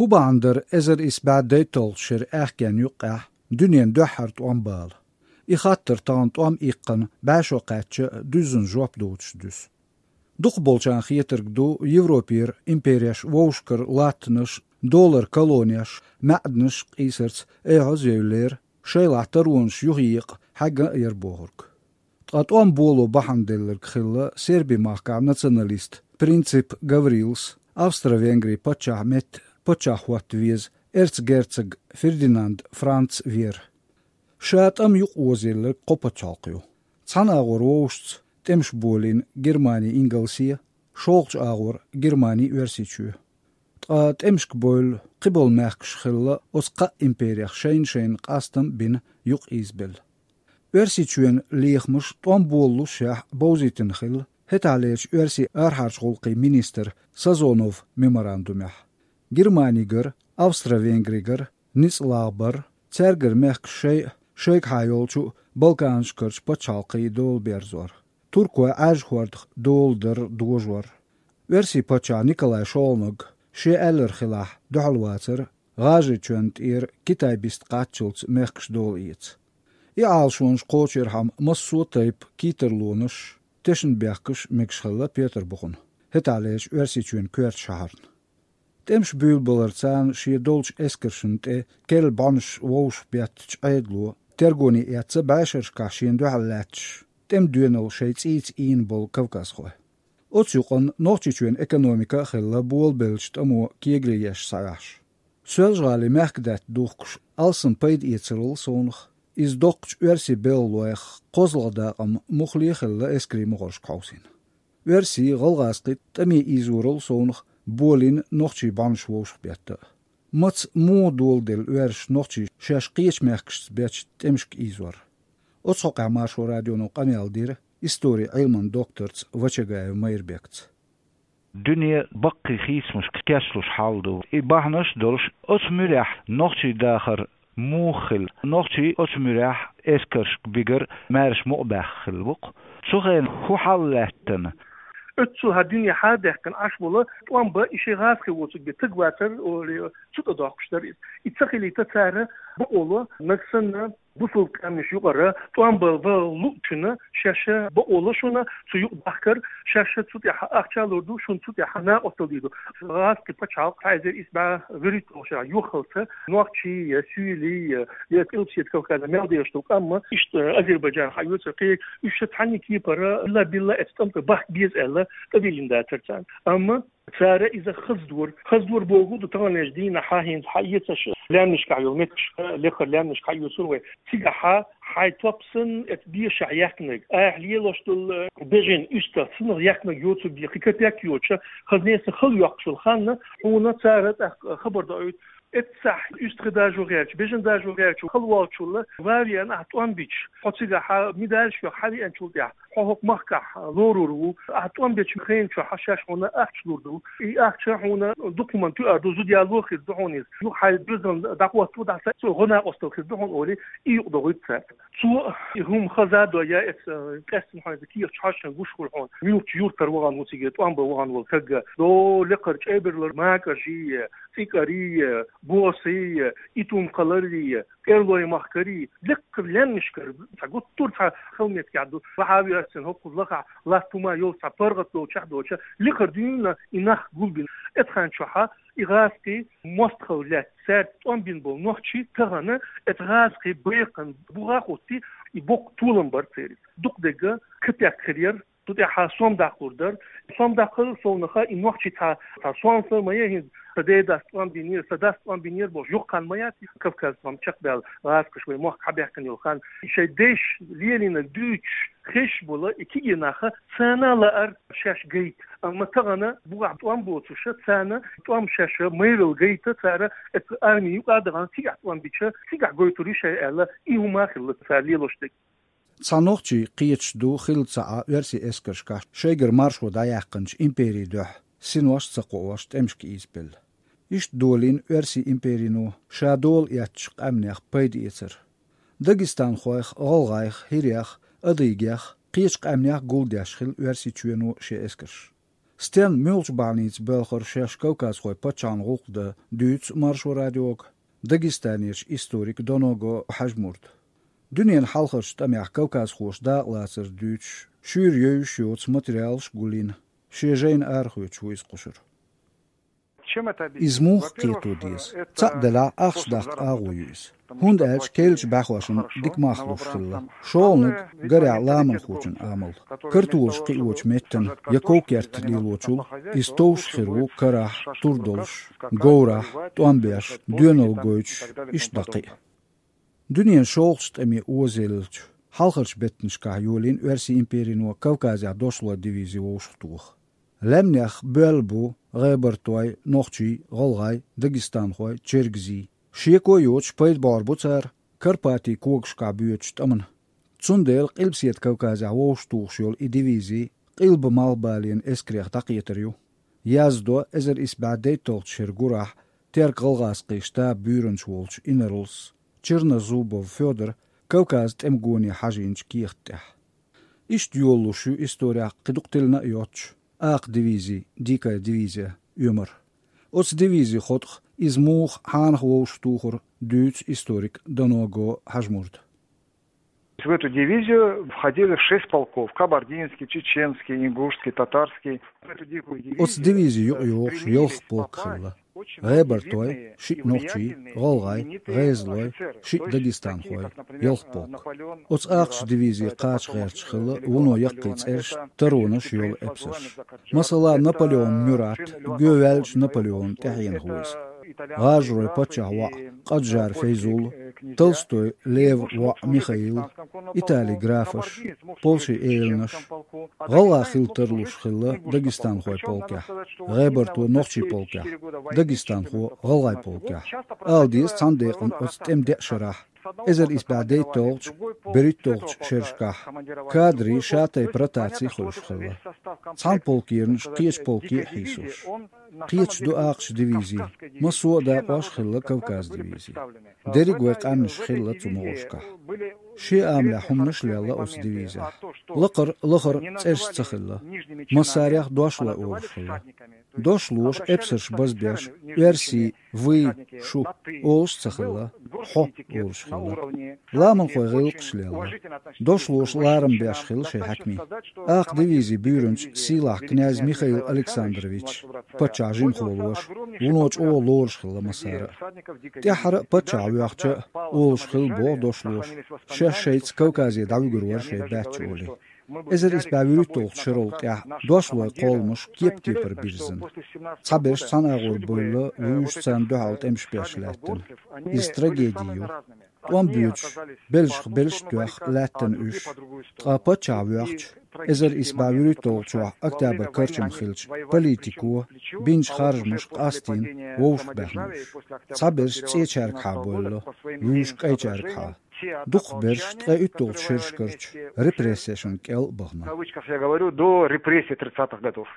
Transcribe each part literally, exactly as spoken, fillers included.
ХӀун бахьана дара эзар исс бӀаь дейтталгӀачу шеран аьхкенна юккъехь дуьненан дуьххьара тӀом бала? И хаттар тахана тӀом иккхина бӀе шо кхаьчча дуьззина жоп доцуш дуьсу. Дукхахболчарна хетарг ду, Европера импереш вовшахкара латтанаш, долларан колонеш, маьӀданаш къийсарца айхьа а евллера, шайлахь таронаш юхаекъа хьаьгна а яра бохург. Ткъа тӀом боло бахьана делларг хилла Серби-махкахь националист Принцип Гаврилас, Австро-Венгрин паччахьан метта паччахь хӀотта веза эрцгерцог Фердинанд Франц вер. Ша тӀам юкъаозаелларг кхо пачхьалкх ю. Цхьана агӀор вовшашца тӀемаш болийна Германи ингалсе, шолгӀачу агӀор Германи Оьрсийчоь. Ткъа тӀемашка бевлла кхиболу мехкаш хилла оцу кхаа имперех шайна-шайна къастам а бина юкъаийзабелла. Оьрсийчоьнан лехамаш тӀом болалушшехь бовзийтина хилла хӀетахьлерчу оьрсийн арахьарчу гӀуллакхийн министран Сазонов меморандумехь. Германигара, Австро-Венгригара ницкъ лагӀбар, цаьргара мехкаш шайн а, шайгахьа йолчу а Балканашкарчу пачхьалкхийн дола берзор, туркойн Ӏаьржа хӀордах дола дар дожор. Оьрсийн паччахь Николай шолгӀаниг, шен аьлларг хилахь, дуьхьал вацара ГӀажарийчоьнна тӀера Китай биста кхаччалц мехкаш дола эца. И Ӏалашонаш кхочуьйрхьама массо а тайпа кийттарлонаш, тешнабехкаш мегаш хилла Петарбухана, хӀетахьлерчу Оьрсийчоьнан коьртачу шахьарна. ТӀемаш буьйлабаларца шен долчу эскаршна тӀе керла бӀаьнаш вовшахбеттачу Ӏедало тергоне эцна бӀешерашкахь шена дуьхьал лаьтташ, тӀеман доьналла шайн цӀийца ийна болу кавказхой. Оцу юкъанна Нохчийчоьнан экономика а хилла болабеллачу тӀамо кегаре еш схьаваьхьаш. Соьлжа-ГӀалин мехкадаьтта духкуш алсам пайда эцарал совнах, иза доккхачу оьрсийн белхалойх кхозлагӀа дакъам муххале а хилла эскарийн мухӀаршка хьовсийна. Оьрсийн, гӀалгӀазкхийн тӀаме ийзорал совнах болийна нохчийн бӀаьнаш вовшахбетта а. Маца, муха доладелла оьрсаша нохчий шаьш кхечу мехкашца бечу тӀемашка ийзор? Оцу хьокъехь Маршо радионо къамел дира историн Ӏилманан докторца Вачагаев Майрбекца. Дуьне баккхий хийцамашка кечлуш хьал ду. И бахьанаш а долуш, оцу муьрехь нохчийн дахар муха хилла, нохчий оцу муьрехь эскаршка бигар маьрша мукъабаьхна хилла бу-кх. Цу хенахь хӀун хьал лаьттина? Оццул хьан дуьне хьа а даьккхина Ӏаш волу тӀом бан и шайн гӀазкхи воцург бен таг вацара, олий, цу тӀе доккхуш дара иза. И ца хилийта цара бакъо ло, нагахь санна бусулба къаьмнаш юкъара тӀом бан ван луучунна шаьш бакъо ло шуна, цу юкъа дахкар, шаьш цу тӀехь ахча а лур ду, шуна цу тӀехь накъосталла дийр ду. ГӀазкхи пачхьалкх, хьайзар исс бӀе вуьрхӀитталгӀачу шарахь юххалца, нохчий а, суьйлий а, я Къилбаседа Кавказехь мел дезаш долу къам а, иштта Азербайджан хьаоьцура кхин, уьш ша цхьанна кепара билла-билла эцу тӀамта бахка беза аьлла, тӀедиллина дацара царна. Амма цара иза хаза дора. Хаза дора бохург ду, таханлерчу дийнахь хӀинца хьаэцаш, лаьмнашкахь йолу меттигашка, лекхара лаьмнашка хьаоьцура вай. Цигахьа хьайн топ санна, эцу бешахь яьккхинарг, айхьа лелош долу бежан уьстагӀ санна яьккхинарг йоцург бен кхин капек йоцуш, хаза неса хала йоккхуш йолу ханна, хьуна цара тӀаккха хабар доуьйту. Эццахь уьстагӀий дажо гӀерташ, бежан дажо гӀерташ хала волчул а, ван а веана ахь тӀом бича, хьо цигахьа медальш йохка хьан веанчул тӀаьхьа, хьо хӀокху махкахь лорур ву, ахь тӀом бечу хенан чохь шаьш хьуна ахча лур ду. И ахча хьуна дукха хӀуманна тоьар ду, зуда яло хир ду хьуна иза. Юха хьайн доьзална дӀахӀотто, дӀаса цо гӀо накъосталла хир ду хьуна олий, и юкъа догӀуьйту цара. Цо и хӀума хаза а дой, я эцу, э, къаьстина хьуна иза кехаташ хьожуш хӀума гуш хуьлу хьуна. Муьлххачу юьртара вахана ву цига тӀом бан вахана волу стаг а. До лекхара ЧӀебарлара макӀажий, цӀикӀарий, босий, Итум-кхаларий, КӀерлойн махкарий, лекхара лаьмнашкара, цхьа гуттар а цхьа хала меттигехь ду. Вахьави ас цхьана хӀокхуза лахахь латта хӀума йолу цхьа паргӀат долчохь а доцуш, лекхара дуьйна и нах гулбина. Эцу хан чохь а и гӀазкхий мостагӀалла лаьцна, цаьрца тӀом бина болу нохчий тахана эцу гӀазкхийн бекхам бухахь а хӀуттий, и боккха толам бара церан. Дукха дерг а капек хир яра. Цу тӀехь сом даккхалур дара. Сом даккхал совнаха и нохчий цхьа, цхьа сом ма яй хӀинца, сан ден дас тӀом бинера, сан дас тӀом бинера бохуш, юха хан ма яц, Кавказ сом чекхбаьлла гӀазкхаша вай мохк хьабаьхкина йолу хан. И шайн дайша лелийнарг дуьйцуш хезаш болу и кегий нах царна лаьара шаьш гайта. Амма тахана бухахь тӀом боцуша, царна тӀом шаьш майралла гайта, цара эцу арми юкъа а дахана, цигахь тӀом бича, цигахь гойтур ю шайн аьлла, и хӀума а хилла цара лелош дерг. Цхьа нохчий кхеташ ду хилла ца Ӏа оьрсийн эскаршкахь шайгара маршо дӀаяьккхинчу империйн дуьхьа синош а ца кхоош тӀемашка ийзабелла. Иштта долийна оьрсийн империно ша дола эцначу къаьмнех пайда эцар. Дагестанхойх, гӀалгӀайх, хӀирех, адыгех, кхечу къаьмнех гулдеш хилла Оьрсийчоьно шен эскарш. Стенна муьлхачу бахьаница боьлхура шаьш кавказхой паччахьан гӀуллакх дан, дуьйцу Маршо радиога Дагестанерчу историка Доного Хьажмурда. Дуьненан хьалхарчу тӀамехь кавказхоша дакъалацар дуьйцуш, шуьйра евзаш йоцу материалаш а гулйина, шен жайна арахоьцуш ву иза кхушара. Иза муха кхето деза? Цхьаъ делахь, ахча даккха агӀо ю иза. ХӀунда аьлча керлачу бӀаьхошна дика мах луш хилла. ШолгӀаниг, гарехь, ламанхочун амал. Картолаш кхиочу меттана я ков керта лелочул иза товш хир ву карахь, тур долуш, говрахь, тӀом беш, доьналла гойтуш, иштта дӀа кхин а. Дуьненан шолгӀачу тӀаме озаеллачу, хьалхарчу беттанашкахь йолийна Оьрсийн империно Кавказехь дошлой дивизи вовшахтоха. Лаьмнех боьлла бу гӀебартой, нохчий, гӀалгӀай, дагестанхой, чергазий. Шеко а йоцуш, пайда бӀор бу цара Карпатийн когашкахь боьдучу тӀамна. Цундела Къилбаседа Кавказехь вовшахтухуш йолу и дивизи Къилба-Малхбален эскарех дӀакхетар ю. Яздо эзар исс бӀе дейтталгӀачу шеран гурахь теркам-гӀалгӀазкхийн штабан буьйранча волчу инарлас Чернозубов Фёдора Кавказан тӀемагоне хьажийначу кехат тӀехь. Иштта йолалуш ю исторехь кхин дукха тиллина а йоццуш, акха дивизи, дикая дивизия, оьмар. Оцу дивизи хотӀах, иза муха, хьанах вовшахтухура, дуьйцу историка Доного Хьажмурда. В эту дивизию входили шесть полков: кабардинский, чеченский, ингушский, татарский. В эту дикую дивизию, э, стремились попасть очень серьёзные, э, военные, генеральные, именитые офицеры. Оцу дивизи юкъа йохуш ялх полк хилла: гӀебартойн, шиъ нохчий, гӀалгӀайн, гӀезалойн, шиъ дагестанхойн, ялх полк. Оцу акхачу дивизин кхача гӀерташ хилла вуно яккхий цӀераш, таронаш йолу эпсарш. Масала, Наполеон Мюрат, гоьваьллачу Наполеонна тӀаьхьенах ву иза. ГӀажарой паччахьан воӀ Къаджар Фейзулла, Толстой Леван воӀ Михаил, Италин графаш, Польшин эланаш. ГӀалгӀа хила тарлуш хилла дагестанхойн полкехь, гӀебарто нохчийн полкехь, дагестанхо гӀалгӀайн полкехь. Ала деза, цхьана декъана оцу тӀеман деа шарахь, эзар исс бӀе дейтталгӀачу, берхӀитталгӀачу шерашкахь кадрийн ша-тайпа ротаци хуьлуш хилла. Цхьана полкернаш кхечу полке а хьийсош. Кхеташ ду акхачу дивизи, массо а дакъош хилла Кавказ дивизи. Дерриг вайн къаьмнаш хилла цу могӀаршкахь. Шен амалехь хӀуманаш а лелла оцу дивизехь. Лакхара лахара цӀераш ца хилла. Массарех дошлой олуш хилла. Дошлоша эпсарш базбеш, оьрсийн «вы», «шу» олуш ца хилла, «хьо» олуш хилла. Ламанхойн гӀиллакхаш лелла. Дошлоша ларам беш хилла шайн хьаькамийн. Акха дивизин буьйранча сийлахь князь Михаил Александрович, паччахьан жимахволоша, вуно чӀогӀа лоруш хилла массара а. ТӀаьххьара а паччахь воьхча а, олуш хилла боху дошлоша, шаьш шайца Кавказе дӀавуьгур вара шайн баьчча олий. Эзар исс бӀе вуьрхӀитталгӀачу шарал тӀаьхьа дошлойн кхолламаш кеп-кепара бирзина. Цхьаберш цхьана агӀор бевлла, вуьйш царна дуьхьал тӀемаш беш лаьттина. Иза трагеди ю. ТӀом боьдуш, белшах белш а тоьхна лаьттина уьш. Ткъа паччахь воьхча, эзар исс бӀе вуьрхӀитталгӀачохь октябрь карчам хилча, политико бинчу харжамаша къастийна вовшахбаьхна уьш. Цхьаберш цӀечаьргахьа бевлла, вуьйш кӀайчаьргахьа. Дукхахберш ткъе уьтталгӀачу шерашкарчу репрессешна кӀел а бахана. В кавычках я говорю, до репрессий тридцатых годов.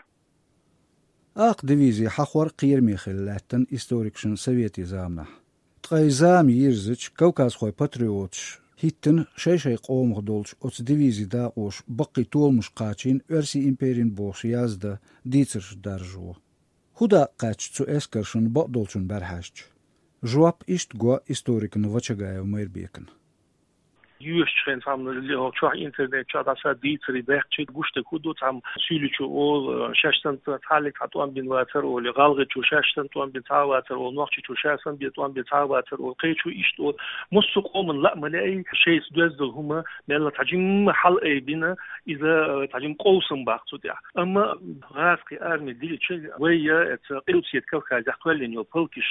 Акха дивизи хьахор кхераме хилла лаьттина историкашна советийн заманахь. Ткъа и зама йирзича, кавказхойн патриоташа хӀиттина шай-шай къомах долчу оцу дивизин дакъоша баккхий толамаш кхачийна Оьрсийн империна бохуш яздан дийцарш даржо. ХӀун дакъа кхаьчна цу эскаршна бакъдолчун бӀаьра хьаьжча? Жоп иштта го историкна Вачагаев Майрбекна. Йоьшучу хенахь цхьамма чохь интернет чохь дӀаса дийцаре баьккхича, гуш дерг хӀун ду, цхьамма суьйличо олу, шаьш санна цхьаллиг цхьа тӀом бина вацара олу, гӀалгӀачо шаьш санна тӀом бина цхьа а вацара олу, нохчичо шаьш санна бен тӀом бина цхьа а вацара олу, кхечо иштта олу. Массо а къоман лаа ма лаьий, шайца доьзна долу хӀума мелла цхьа жимма хьалаайбина, иза, э, цхьа жимма къовсам баккха цу тӀехь. Амма гӀазкхийн арми дилча, вай я эца Къилбаседа Кавказехь кхоьллина йолу полкаш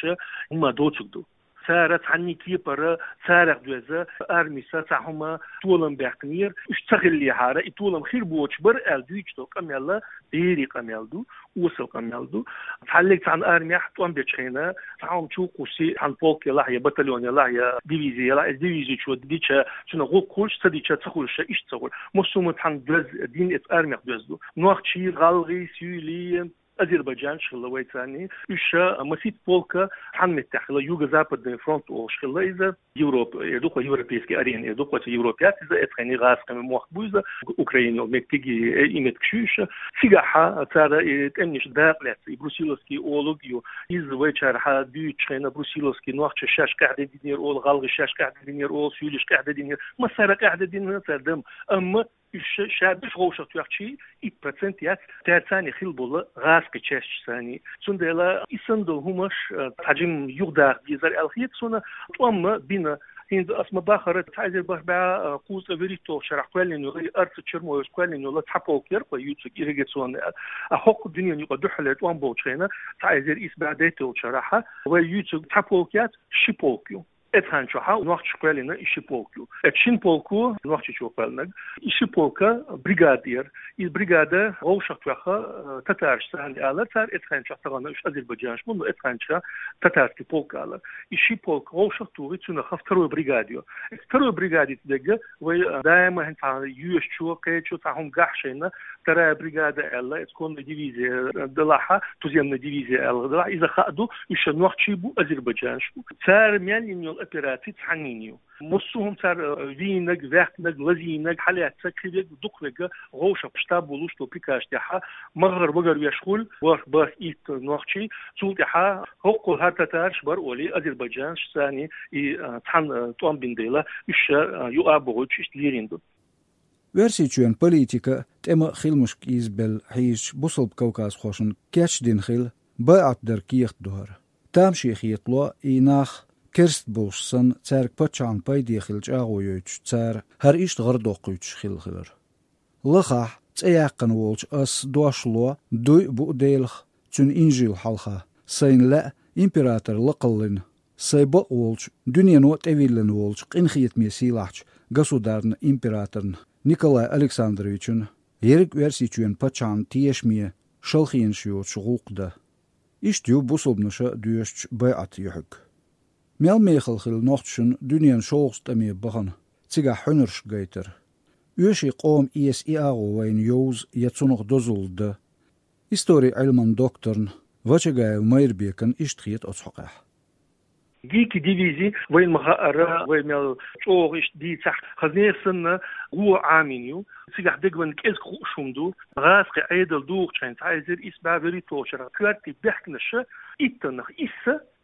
хӀумма доцург ду. Цара цхьанний кепара, царах доьзна армица цхьа хӀума толам баьккхинера. Уьш ца хиллехьара, и толам хир боцуш бара аьлла дуьйцуш долу къамел берийн къамел ду, осал къамел ду. Цхьаллиг цхьана армехь тӀом бечу хенахь, цхьа хӀума чу кхуссий, цхьана полк елахь, я батальон елахь, я дивизи елахь, иза дивизичо дича, цунах гӀуллакх хуьлуш, ца дича, ца хуьлуш, иштта ца хуьлу. Массо а хӀума цхьана доьзна дин эца армех доьзна ду. Нохчий, гӀалгӀий, суьйлий, азербайджанцаш хилла вайцарний. Уьш масийтта полк цхьан меттехь хилла, Юго-Западный фронт олуш хилла иза, Европа, эр ду-кх вай, европейский арена, эр ду-кх вай, цу Европе яц иза, эцхьайний гӀазкхийн мохк бу иза, Украина йолу меттиг, э, и меттигаш ю уьш. Цигахь цара и тӀемнаш дакъа лаьцна, и Брусиловский олуг ю, иза вайчарахь дуьйцучу хенахь Брусиловский нохчаш шаьш къаьхьа дина динера олу, гӀалгӀаш шаьш къаьхьа дина динера олу, суьйлаш къаьхьа дина динера, массара къаьхьа дина динера цара дам. Амма уьш ша-, шаьш деш вовшахтоьхчий, итт процент яц цаьрца хилла болу гӀазкхийн частьш санний. Цундела и санна долу хӀумаш, а, цхьа жимма юхадаха дезара аьлла хета суна, тӀом ма бина. ХӀинца ас ма-баххара, цхьа эзар бархӀ бӀе, а, кхузткъе вуьрхӀитталгӀачу шарахь кхоьллина йолу, и Арцаев, Чермоевс кхоьллинчу цхьа полк яра-кх вай юьйцург ирригационный. А хӀокху дуьненан юкъа дуьххьарлера тӀом болчу хенахь, цхьа эзар исс бӀе дейтталгӀачу шарахь, вай юьйцург цхьа полк яц, ши полк ю. Эцхьанчохь нохчаша кхоьллина и ши полк ю. Эцу шина полко, нохчичо кхоьллинарг, и ши полка бригада яра. И бригада вовшахтоьхна, э, татараш санна алара цара, эцхьанчохь, тахана уьш азербайджанаш бу, но эцхьанчохь татарский полк алара. И ши полк вовшахтухий, цунах второй бригада ю. Второй бригадица дерг вай, э, даима хӀинца цхьа йоьшучо, кхечо цхьа хӀума гахь шайна, вторая бригада аьлла, эцу конная дивизия, э, делахь, туземная дивизия аьлла делахь, иза хаа ду, уьш нохчий бу, азербайджанаш бу. Цара мел йина йолу операци цхьаннина ю. Массо а хӀума цара, э, вийнарг, ваьккхинарг, лазийнарг, хьалаьцнарг, кхин верг, дукха верг вовшах штаб волуш долу приказ тӀехь, ма-гӀар вагар веш хуьлу, бархӀ, бархӀ, итт нохчий, цул тӀаьхьа хӀокхул хӀара татараш бара олий, азербайджанаш санний, и, э, цхьаьна, э, тӀом бина дела, уьш, э, юкъа а бохуьйтуш иштта лерина ду. Оьрсийчоьнан политика тӀеман а, хиламашка а изза белла хьийзачу бусалба кавказхошна кечдина хилла байӀат дар кехат ду хӀара. Тамаше хетало и нах, керста болуш санна, цаьрга паччахьна пайде хила чӀагӀо йойтуш, цара хӀара иштта гӀара доккхуьйтуш хилла хилар. Лахахь, цӀе яьккхина волчу ас дош ло, дуй а буу Делах, Цуьнан инжил хьалха, сайна лаьа император лакхаллина, сайн бакъ волчу, дуьнено а тӀевиллина волчу къинхетаме сийлахьчу государна императорна Николай Александровична, ерриг Оьрсийчоьнан паччахьна тешаме шалхенаш йоцуш гӀуллакх дан. Иштта ю бусалбанаша доьшучу байӀатан юьхьиг. Мел мехала хилла нохчашна дуьненан шолгӀачу тӀаме бахана, цигахь хьуьнарш гайтар. Оьший къоман эса и агӀо вайна йовза я цунах дозалла дан. Историн Ӏилман докторна Вачагаев Майрбекана иштта хета оцу хьокъехь. Дикий дивизи вайна ма-хаъара, вай мел чӀогӀа иштта дийцахь, хаза нехан санна, гӀо Ӏамийна ю. Цигахь дегван кӀезиг хууш хӀума ду. ГӀазкхийн Ӏедал духучу хенахь, цхьа эзар исс бӀе вуьрхӀитталгӀачу шарахь коьртийн бехканаша иттаннах исс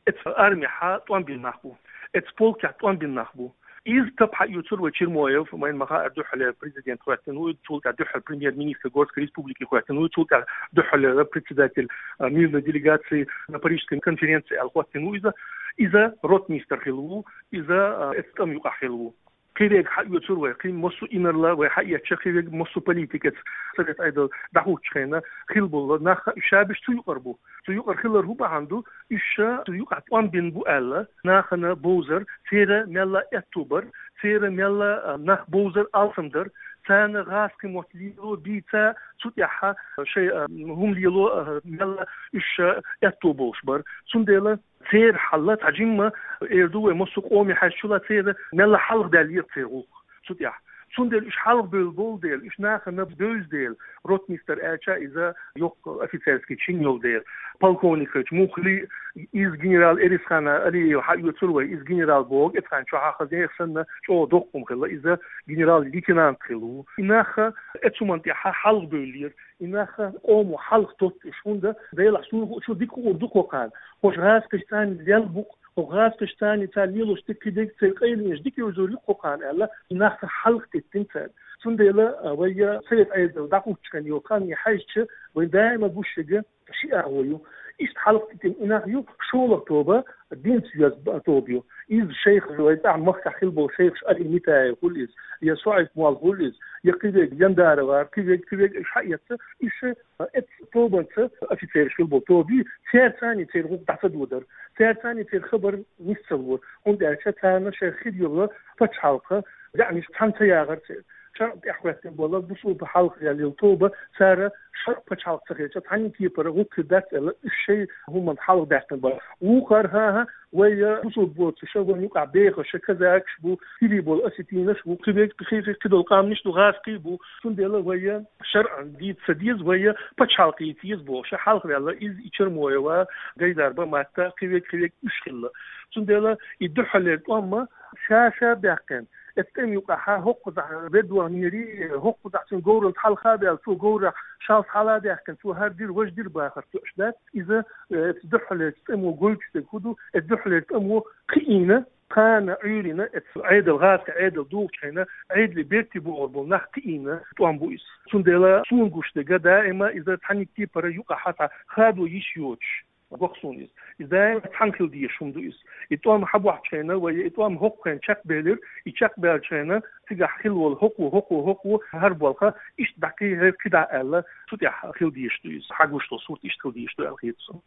эцу армехьа тӀом бина нах бу. Эцу полкехь тӀом бина нах бу. Иза тап хьаоьцура вай Чермоев, вайна ма-хаъара, дуьххьалера президент хӀоьттина ву, цул тӀаьхьа дуьххьара премьер-министр Горской республики хӀоьттина ву, цул тӀаьхьа дуьххьалера председатель, а, мирной делегации на Парижской конференции аьлла хӀоьттина ву иза. Иза ротмистр хилла ву, иза, а, эцу тӀам юкъахь хилла ву. Кхин верг хьаоьцура вай, кхин массо а инарла вай хьаэцча, кхин верг массо а политикаца, Совет Ӏедал дӀахӀуттучу хенахь хилла болу нах, уьш ша беш цу юкъара бу. Цу юкъара хилар хӀун бахьана ду? Уьш ша цу юкъахь тӀом бина бу аьлла, нахана бовзар, церан мелла аьтто бар, церан мелла, а, нах бовзар алсам дар, царна гӀазкхийн мотт лело бийца, цу тӀехь шайн, а, хӀума лело, а, мелла уьш ша аьтто болуш бар. Цундела церан хьал цхьа жимма, эр ду вай, массо а къоме хьаьжча, церан мелла хьалха даьлла еза церан гӀуллакх цу тӀехь. Цундела уьш хьалха бевлла болу дела, уьш нахана бевза дела, ротмистр аьлча, иза йоккха офицерский чин йолу дела, полковник хилча, муххале а, иза генерал Эрисхана Алиева хьаоьцура вай, иза генерал боху, эцхьанчохь хаза нехан санна чӀогӀа доккха хӀума хилла, иза генерал-лейтенант хилла ву. И нах эцу хӀуманна тӀехь хьалха бевллера. И нах къомо хьалха тоттуш, хӀунда Делахь суна хуучу дика хуур ду кху кхана. Хьо гӀазкхашца цхьаьна лелла бу-кх, хьо гӀазкхашца цхьаьна, цара лелош дика, кхидерг церан къайленаш дика йовзур ю кху кхана аьлла, и нах хьалха теттина цара. Цундела, а, вай, а, Совет Ӏедал дӀахӀуттучу хенахь йолу хан хьаьжча, вайн даима гуш ерг ши агӀо ю. Иштта хьалха теттина и нах ю, шолгӀа тоба динца йоьзна тоба ю. Иза шайх, вайн цӀахь махкахь хилла болу шайхаш, Али Митаев хуьлу иза, я Суайф-молла хуьлу иза, я кхин верг, Яндаровар, кхин верг, кхин верг, уьш хьаэцна, уьш, а, эцу тобанца офицераш хилла болу тоба ю, церан цӀарна церан гӀуллакх дӀа ца додара, церан цӀарна церан хабар нис ца лора, хӀунда аьлча царна шайн хир йолу пачхьалкхан заьӀнаш цхьаьна ца яхара церан. ШарӀ тӀехьахӀоьттина бола бусулба хьалха яьлла тоба, цара шарӀ пачхьалкх ца хилча, цхьанна кепара гӀуллакх хир дац аьлла, уьш шоай хӀуманна хьалха даьккхина бара. Вукхар, хӀа-хӀа, вай бусулба боцуша, вайна юкъахь бехаш, казакаш бу, хӀирий бола осетинаш бу, кхидерг, кхи-, кхидолу къаьмнаш ду, гӀазкхий бу. Цундела вай шарӀ дийца ца деза, вай пачхьалкх йийца еза бохуша, хьалха ваьлла иза, и Чермоева, Гайдарба, Матта, кхидерг, кхидерг уьш хилла. Цундела и дуьххьарлера тӀом ма ша-ша баьккхина. Эцу тӀема юкъахь хӀокхузахь веддонера, хӀокхузахь цуьнан говралла хьалха а баьлла, цо говрах шалс хьала а даьккхина, цо хӀара дира, важа дира бахар тоьаш дац. Иза, э, эцу дуьххьарлерчу тӀамо гойтуш дерг хӀун ду, эцу дуьххьарлерчу тӀамо кхиийна, кхана Ӏуьйранна, эцу Ӏедал, гӀазкхийн Ӏедал духучу хенахь, Ӏедале беркате богӀур болу нах кхиийна тӀом бу иза. Цундела суна гуш дерг, даима иза цхьанна кепара юкъахь цхьа хадо йиш йоцуш. Боху суна иза. Иза даим цхьаьна хила дезаш хӀума ду иза. И тӀом хьан бохьучу хенахь, вай и тӀом хӀокху хенахь чекхбелира, и чекхбаьллачу хенахь цигахь хилла волу хӀокхо, хӀокхо, хӀокхо, хӀара болх иштта дӀакхехьа, кхидӀа аьлла, цу тӀехь хила дезаш ду иза. Хьан гуш долу сурт иштта хила дезаш ду аьлла хета суна.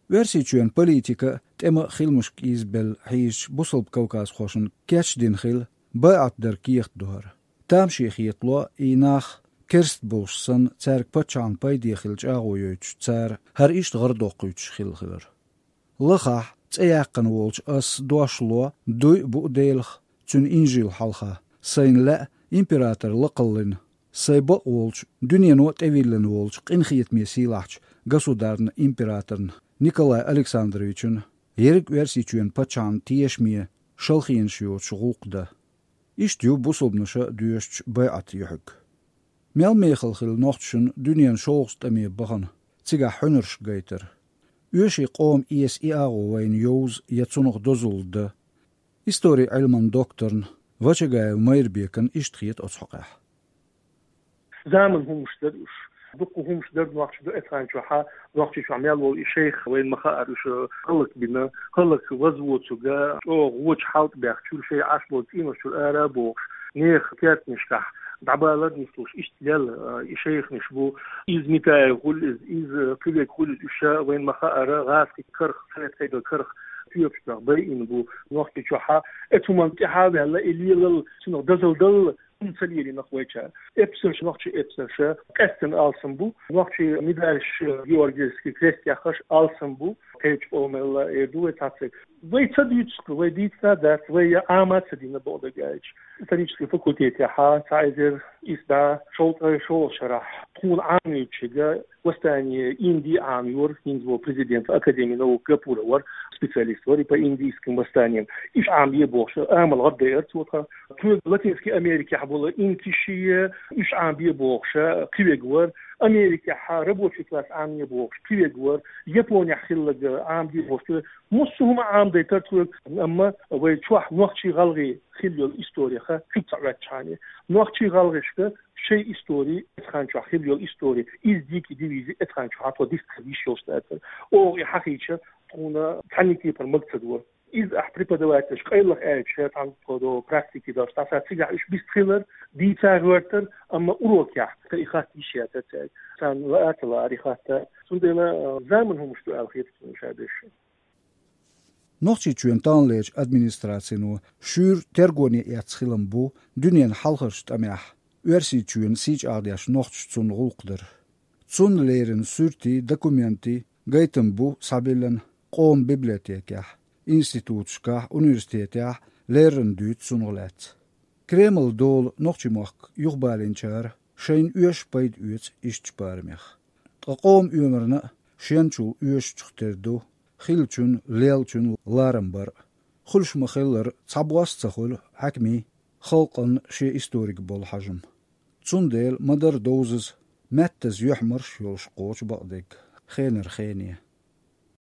Оьрсийчоьнан политика тӀеман а, хиламашка а ийзабелла хьийзачу бусалба кавказхошна кечдина хилла, байӀат дар кехат ду хӀара. Тамаше хетало и нах, керста болуш санна, цаьрга паччахьна пайде хила чӀагӀо йойтуш цара хӀара иштта гӀарадоккхуьйтуш хилла хилар. Лахахь, цӀе яьккхина волчу ас дош ло, дуй а буу Делах, Цуьнан инжил хьалха, сайна лаьа император лакхаллина, сайн бакъ волчу, дуьнено а тӀевиллина волчу къинхетаме сийлахьчу государна императорна Николай Александровична, ерриг Оьрсийчоьнан паччахьна тешаме, шалхенаш йоцуш гӀуллакх дан. Иштта ю бусалбанаша доьшучу байӀатан юьхьиг. Мел мехала хилла нохчашна дуьненан шолгӀачу тӀаме бахана, цигахь хьуьнарш гайтар. Оьший къоман эса и агӀо вайна йовза я цунах дозалла дан. Историн Ӏилманан докторна Вачагаев Майрбекана иштта хета оцу хьокъехь. Заманан хӀумаш дара уьш. Дуккха хӀумаш дара нохчийн, эцу хан чохь, Нохчийчохь мел волу и шайх вайна ма хаара, уьш хӀаллакбина, хӀаллакваза воцург, чӀогӀа вочу хьал тӀе баьхначуьра, шайн Ӏаш болу цӀийнаш чуьра ара а бохуш, нехан кертанашкахь дӀабалар нислуш, иштта лелла, а, и шайханаш бу. Иза Митаев хуьлу иза, иза кхидерг хуьлу иза, уьш вайна ма хаара, гӀазкхийн карах, совет Ӏедалан карах тоьпаш баха байина бу Нохчийчохь. Эцу хӀуманна тӀаьхьа а ваьлла, и лелалла, цунах дозалла далла хӀума ца лелийнарш вайчара. Эпсарш, нохчийн эпсарш къаьстина алсам бу, нохчийн медальш, Георгиевский крест яххарш алсам бу, кхечу къомалла эр ду вай цхьацца. Вай ца дуьйцу-кх, вай дийцина дац, вай Ӏама ца дина, бакъдерг аьлча. Исторический факультетехь цхьа эзар исс бӀе шовзткъе шолгӀачу шарахь тхуна Ӏамийначуьнга восстание Индии Ӏамайора, хӀинца волу президент Академии наук Гапуров вара, специалист вара и по индийским восстаниям. Уьш Ӏамае бохуш, амал гӀаддайара цо тхан. Цуьнга Латинский Америкехь болу инкиши, уьш Ӏамабе бохуш, кхиверг вара. Америкехь рабочий класс Ӏамае бохуш, кхиверг вара. Японехь хилларг Ӏамаде бохуш, массо а хӀума Ӏамадайтара цо, амма вай чохь нохчий-гӀалгӀай хилла йолу историх куьг ца Ӏоьттичхьана, нохчий-гӀалгӀашка шайн истори, эцу хан чохь хилла йолу истори, иза дика дивизи эцу хан чохь тхо дистхила йиш йолуш дацара. Оха и хьахийча, тхуна цхьанна кепара мага ца дора. Иза ахь преподавательш къайлаха аьлча, тхан тхо до практики долуш, тӀаккха цигахь уьш бистхилар, дийца гӀоьртар, амма урокехь тхан и хатта йиш яцара цаьрга. Царна лаа а ца лаьара и хатта. Цундела, а, заманан хӀумаш ду аьлла хета суна уьш а дерш. Нохчийчоьнан тӀаллечу администрацино шуьйра тергоне эцна хилам бу дуьненан хьалхарчу тӀамехь Оьрсийчоьнан сий чӀагӀдеш нохчаша цунна гӀуллакх дар. Цунна леррина суьртий, документий, гайтам бу схьабиллина къоман библиотекехь, институташкахь, университетехь леррина дуьйцу цунах лаьцна. Кремлан дола нохчийн мохк юхабалийначара шайна оьшуш пайда оьцу ишттачу барамех. Ткъа къоман оьмарна а шенчул оьшучух тера ду хиллачун, леллачун ларам бар а. Хуьлуш ма-хиллара, цхьабосса ца хуьлу хьаькамийн, халкъан шен историк болу хьажам. Цундела ма-дарра довзаза, маьттаза юьхьмарш а йолуш кхочу бакъдерг хенара хене.